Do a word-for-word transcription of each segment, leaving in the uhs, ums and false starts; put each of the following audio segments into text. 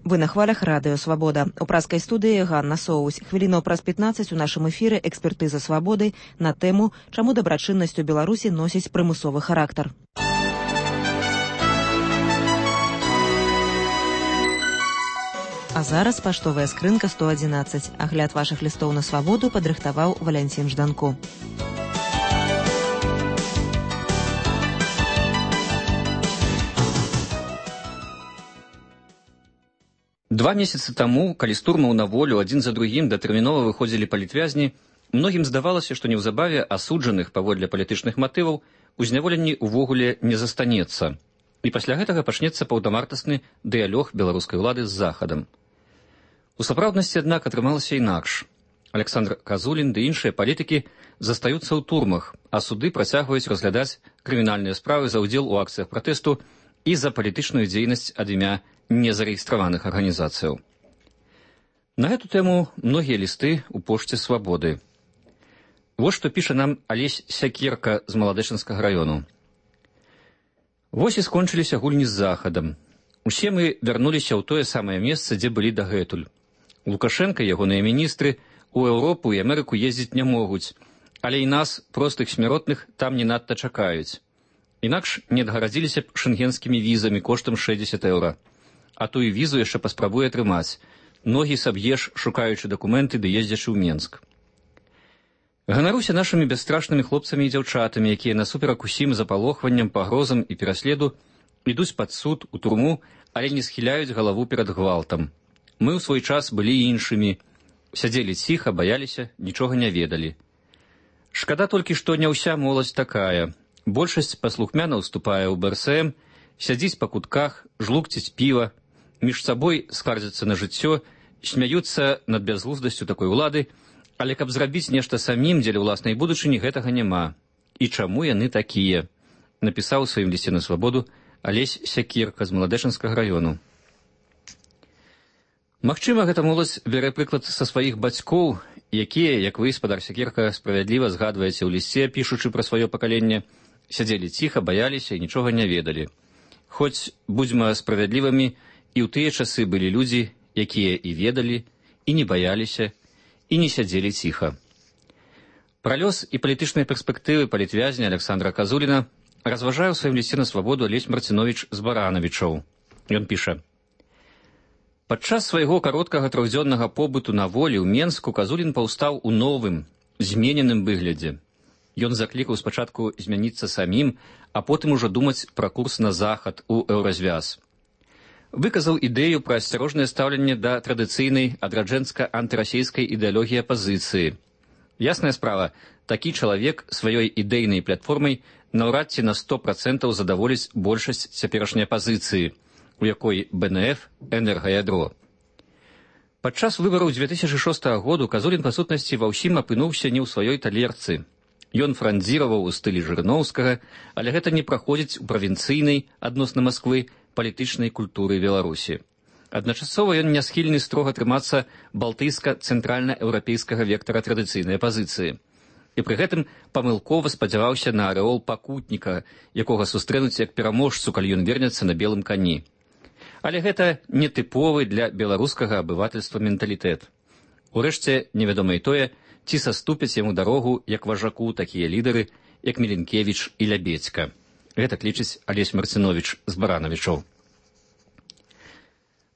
Вы на хвалях радыё «Свабода». У праскай студыі Ганна Соусь. Хвілінаў праз пятнаццаць у нашым эфіры экспертыза «Свабоды» на тэму, чаму дабрачыннасць у Беларусі носіць прымусовы характар. А зараз паштовая скрынка сто адзінаццаць. Агляд вашых лістоў на «Свабоду» падрыхтаваў Валянцін Жданко. Два месяцы таму, калі з турмаў на волю адзін за другім датэрмінова выходзілі палітвязні, многім здавалася, што неўзабаве асуджаных паводле палітычных матываў у зняволенні ўвогуле не застанецца. І пасля гэтага пачнецца паўнавартасны дыялог беларускай улады з Захадам. У сапраўднасці, аднак, атрымалася інакш. Александр Казулін ды іншыя палітыкі застаюцца ў турмах, а суды працягваюць разглядаць крымінальныя справы за ўдзел у акцыях пратэсту і за палітычную дзейнасць ад імя незарэгістраваных арганізацыяў. На гэту тэму многія лісты ў пошце «Свабоды». Вось што піша нам Алесь Сякерка з Маладэчынскага раёну. Вось і скончыліся гульні з Захадам. Усе мы вярнуліся ў тое самае месца, дзе былі дагэтуль. Лукашенка і ягоныя міністры у Еўропу і Амерыку ездзіць не могуць, але і нас, простых смяротных, там не надта чакаюць. Інакш не адгарадзіліся б шэнгенскімі візамі коштам шэсцьдзесят еўра. А ту і візу яшчэ паспрабуе атрымаць. Ногі саб'еш, шукаючы дакументы ды ездзячы ў Менск. Ганаруся нашымі бясстрашнымі хлопцамі і дзяўчатамі, якія насуперак усім запалохванням, пагрозам і пераследу ідуць пад суд, у турму, але не схіляюць галаву перад гвалтам. Мы ў свой час былі іншымі. Сядзелі ціха, баяліся, нічога не ведалі. Шкада толькі, што не ўся моладзь такая. Большасць паслухмяна ўступае ў бэ эс эм, сядзіць па кутках, жлукціць піва, між сабой скардзяцца на жыццё, смяюцца над бязглуздасцю такой улады, але каб зрабіць нешта самім дзеля ўласнай будучыні, гэтага няма. І чаму яны такія? Напісаў у сваім лісце на «Свабоду» Алесь Сякерка з Маладэчынскага раёну. Магчыма, гэта моладзь бярэ прыклад са сваіх бацькоў, якія, як вы, спадар Сякерка, справядліва згадваеце ў лісце, пішучы пра сваё пакаленне, сядзелі ціха, баяліся і нічога не ведалі. Хоць, будзьма справядлівымі, і ў тыя часы былі людзі, якія і ведалі, і не баяліся, і не сядзелі ціха. Пра лёс і палітычныя перспектывы палітвязня Александра Казуліна разважае ў сваім лісце на «Свабоду» Алесь Марцинович з Баранавічаў. Ён піша: падчас свайго кароткага трохдзённага побыту на волі ў Менску Казулін паўстаў у новым, змененым выглядзе. Ён заклікаў спачатку змяніцца самім, а потым ужо думаць пра курс на захад у еўразвяз. Выказаў ідэю пра асцярожнае стаўленне да традыцыйнай адраджэнска-антырасійскай ідэалогіі апазіцыі. Ясная справа, такі чалавек сваёй ідэйнай платформай наўрад ці на сто працэнтаў задаволіць большасць цяперашняй апазіцыі, у якой бэ эн эф энергаядро. Падчас выбараў дзве тысячы шостага году Казулін, па сутнасці, ва ўсім апынуўся не ў сваёй талерцы. Ён франдзіраваў у стылі Жырыноўскага, але гэта не праходзіць у правінцыйнай, адносна Масквы, палітычнай культуры Беларусі. Адначасова ён не схільны строга трымацца балтыйска-цэнтральна-еўрапейскага вектара традыцыйнай апазіцыі. І пры гэтым памылкова спадзяваўся на арэол пакутніка, якога сустрэнуць як пераможцу, калі ён вернецца на белым кані. Але гэта не тыповы для беларускага абывательства менталітэт. Урэшце, невядома і тое, ці саступяць яму дарогу як важаку такія лідары, як Міленкевіч і Лябедзька. Гэтак лічыць Алесь Марцинович з Баранавічаў.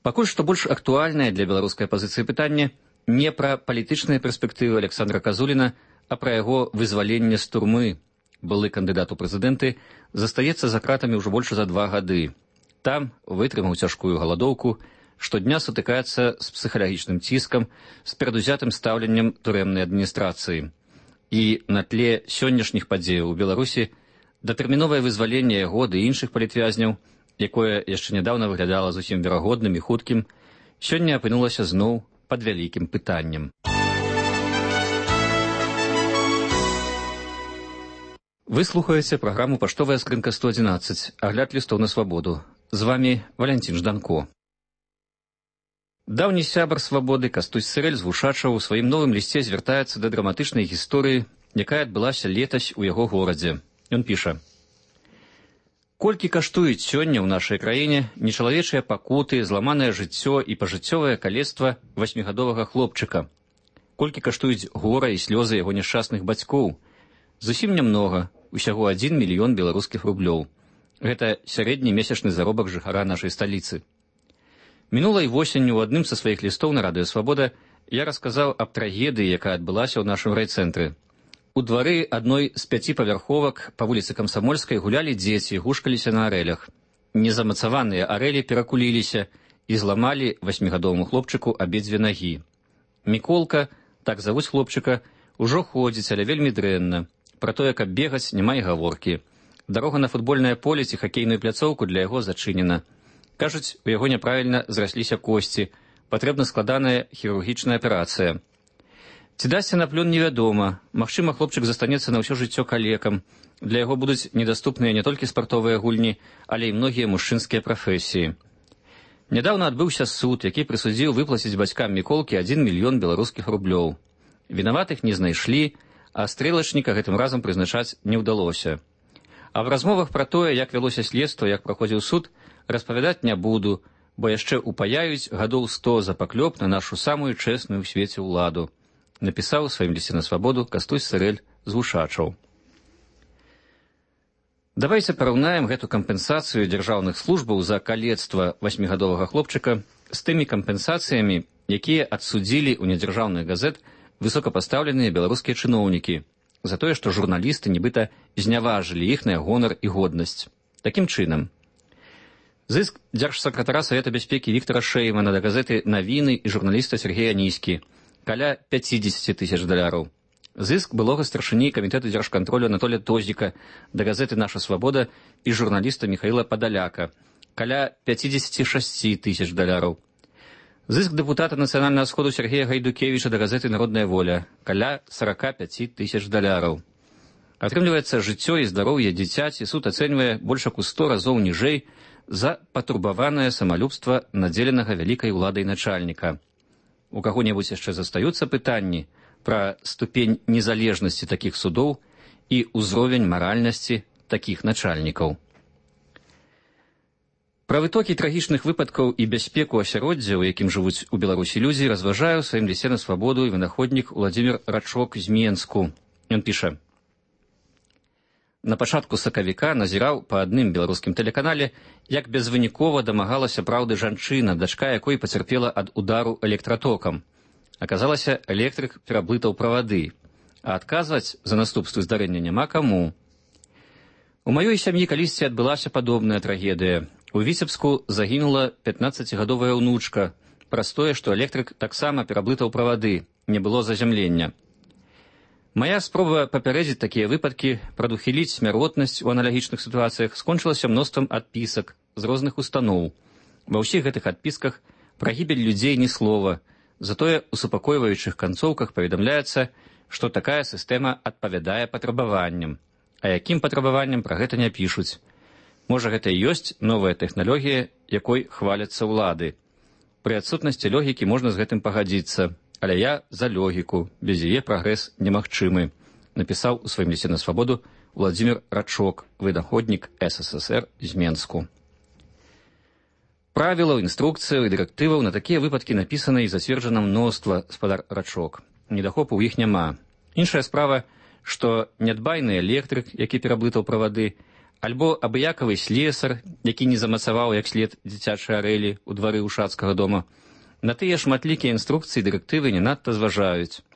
Пакуль што больш актуальнае для беларускай апазіцыі пытанне не пра палітычныя перспектывы Александра Казуліна, а пра яго вызваленне з турмы. Былы кандыдат у прэзідэнты застаецца за кратамі ўжо больш за два гады. Там вытрымаў цяжкую галадоўку, штодня сутыкаецца з псіхалагічным ціскам, з перадузятым стаўленнем турэмнай адміністрацыі. І на тле сённяшніх падзеяў у Беларусі датэрміновае вызваленне яго ды іншых палітвязняў, якое яшчэ нядаўна выглядала зусім верагодным і хуткім, сёння апынулася зноў пад вялікім пытаннем. Вы слухаеце праграму «Паштовая скрынка сто адзінаццаць», агляд лістоў на «Свабоду». З вамі Валянцін Жданко. Даўні сябар «Свабоды» Кастусь Сырэль з Вушачаў у сваім новым лісце звяртаецца да драматычнай гісторыі, якая адбылася летась у яго горадзе. Ён піша: Колькі каштуюць сёння ў нашай краіне нечалавечыя пакуты, зламанае жыццё і пажыццёвае калецтва васьмігадовага хлопчыка? Колькі каштуюць гора і слёзы яго няшчасных бацькоў? Зусім нямнога, усяго адзін мільён беларускіх рублёў. Гэта сярэдні месячны заробак жыхара нашай сталіцы. Мінулай восенню ў адным са сваіх лістоў на радыё «Свабода» я расказаў аб трагедыі, якая адбылася ў нашым райцэнтры. У двары адной з пяці павярховак па вуліцы Камсамольскай гулялі дзеці, гушкаліся на арэлях. Незамацаваныя арэлі перакуліліся і зламалі васьмігадоваму хлопчыку абедзве нагі. Міколка, так завуць хлопчыка, ужо ходзіць, але вельмі дрэнна. Пра тое, каб бегаць, няма і гаворкі. Дарога на футбольнае поле ці хакейную пляцоўку для яго зачынена. Кажуць, у яго няправільна зрасліся косці, патрэбна складаная хірургічная аперацыя. Ці дасся на плён невядома. Магчыма, хлопчык застанецца на ўсё жыццё калекам. Для яго будуць недаступныя не толькі спартовыя гульні, але і многія мужчынскія прафесіі. Нядаўна адбыўся суд, які прысудзіў выплаціць бацькам Міколкі адзін мільён беларускіх рублёў. Вінаватых не знайшлі, а стрэлачніка гэтым разам прызначаць не ўдалося. А в размовах пра тое, як вялося следства, як праходзіў суд, распавядаць не буду, бо яшчэ упаяюць гадоў сто за паклёп на нашу самую чэсную ў свеце ўладу. Напісаў у сваім лісце на свабоду Кастусь Сырэль з Вушачаў. Давайце параўнаем гэту кампенсацыю дзяржаўных службаў за калецтва васьмігадовага хлопчыка з тымі кампенсацыямі, якія адсудзілі ў нядзяржаўных газет высокапастаўленыя беларускія чыноўнікі за тое, што журналісты нібыта зняважылі іхныя гонар і годнасць. Такім чынам, зыск дзяржсакратара Савета бяспекі Віктара Шэймана да газеты «Навіны» і журналіста Сергея Аніські каля пяцідзесяці тысяч даляраў. Зыск былога старшыні камітэту дзяржкантролю Анатолія Тозіка да газеты «Наша свабода» і журналіста Міхаіла Падаляка каля пяцідзесяці шасці тысяч даляраў. Зыск дэпутата Нацыянальнага сходу Сергея Гайдукевіча да газеты «Народная воля» каля сарака пяці тысяч даляраў. Атрымліваецца, жыццё і здароўе дзіцяці суд ацэньвае больш як у сто разоў ніжэй за патурбаванае самалюбства надзеленага вялікай уладай начальніка. У каго-небудзь яшчэ застаюцца пытанні пра ступень незалежнасці такіх судоў і ўзровень маральнасці такіх начальнікаў. Пра вытокі трагічных выпадкаў і бяспеку асяроддзя, у якім жывуць у Беларусі людзі, разважаю ў сваім лісце на свабоду і вынаходнік Уладзімір Рачок з Менску. Ён піша: на пачатку сакавіка назіраў па адным беларускім тэлеканале, як безвынікова дамагалася праўды жанчына, дачка якой пацярпела ад удару электратокам. Аказалася, электрык пераблытаў правады, а адказваць за наступствы здарэння няма каму. У маёй сям'і калісьці адбылася падобная трагедыя. У Віцебску загінула пятнаццацігадовая ўнучка праз тое, што электрык таксама пераблытаў правады, не было зазямлення. Мая спроба папярэдзіць такія выпадкі, прадухіліць смяротнасць у аналагічных сітуацыях скончылася мноствам адпісак з розных устаноў. Ва ўсіх гэтых адпісках пра гібель людзей ні слова, затое у супакойваючых канцоўках паведамляецца, што такая сістэма адпавядае патрабаванням. А якім патрабаванням пра гэта не пішуць. Можа, гэта і ёсць новая тэхналогія, якой хваляцца ўлады. Пры адсутнасці логікі можна з гэтым пагадзіцца. Але я за логіку, без яе прагрэс немагчымы, напісаў у сваім лісце на свабоду Уладзімір Рачок, вынаходнік эс эс эс эр з Менску. Правілаў, інструкцыяў і дырэктываў на такія выпадкі напісана і зацверджана мноства, спадар Рачок. Недахопу ў іх няма. Іншая справа, што нядбайны электрык, які пераблытаў правады, альбо абыякавы слесар, які не замацаваў як след дзіцячай арэлі ў двары ўшацкага дома, на тыя шматлікія інструкцыі і дырэктывы не надта зважаюць.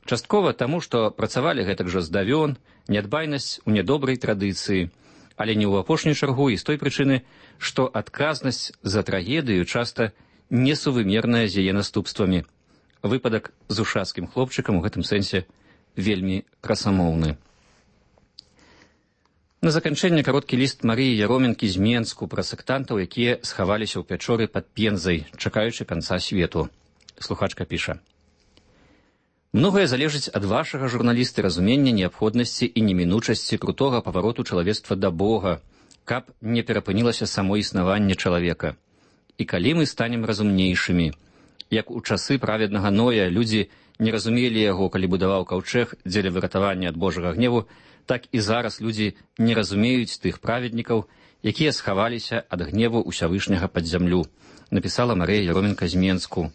Часткова таму, што працавалі гэтак жа здавён, нядбайнасць у нядобрай традыцыі, але не ў апошнюю чаргу і з той прычыны, што адказнасць за трагедыю часта несувымерная з яе наступствамі. Выпадак з ушацкім хлопчыкам у гэтым сэнсе вельмі красамоўны. На заканчэнне кароткі ліст Марыі Яроменкі з Менску пра сектантаў, якія схаваліся ў пячоры пад Пензай, чакаючы канца свету. Слухачка піша: многае залежыць ад вашага, журналісты, разумення неабходнасці і немінучасці крутога павароту чалавецтва да Бога, каб не перапынілася само існаванне чалавека. І калі мы станем разумнейшымі, як у часы праведнага Ноя людзі не разумелі яго, калі будаваў каўчэг дзеля выратавання ад Божага гневу, так і зараз людзі не разумеюць тых праведнікаў, якія схаваліся ад гневу ўсявышняга пад зямлю, напісала Марыя Яроменка з Менску.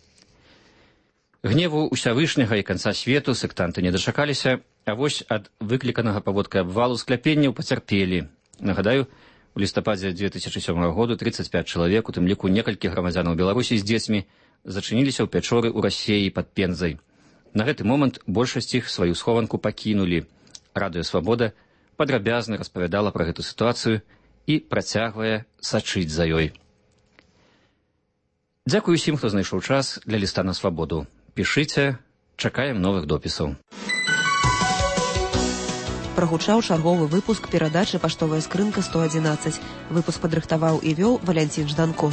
Гневу ўсявышняга і канца свету сектанты не дачакаліся, а вось ад выкліканага паводкай абвалу скляпенняў пацярпелі. Нагадаю, у лістападзе две тысячы сёмага году тридцать пять чалавек, у тым ліку некалькі грамадзянаў Беларусі з дзецьмі, зачыніліся ў пячоры ў Расеі пад Пензай. На гэты момант большасць іх сваю схованку пакінулі. Радыё Свабода падрабязна распавядала пра гэту сітуацыю і працягвае сачыць за ёй. Дзякую усім, хто знайшоў час для ліста на свабоду. Пішыце, чакаем новых допісаў. Прагучаў чарговы выпуск перадачы «Паштовая скрынка сто адзінаццаць». Выпуск падрыхтаваў і вёў Валянцін Жданко.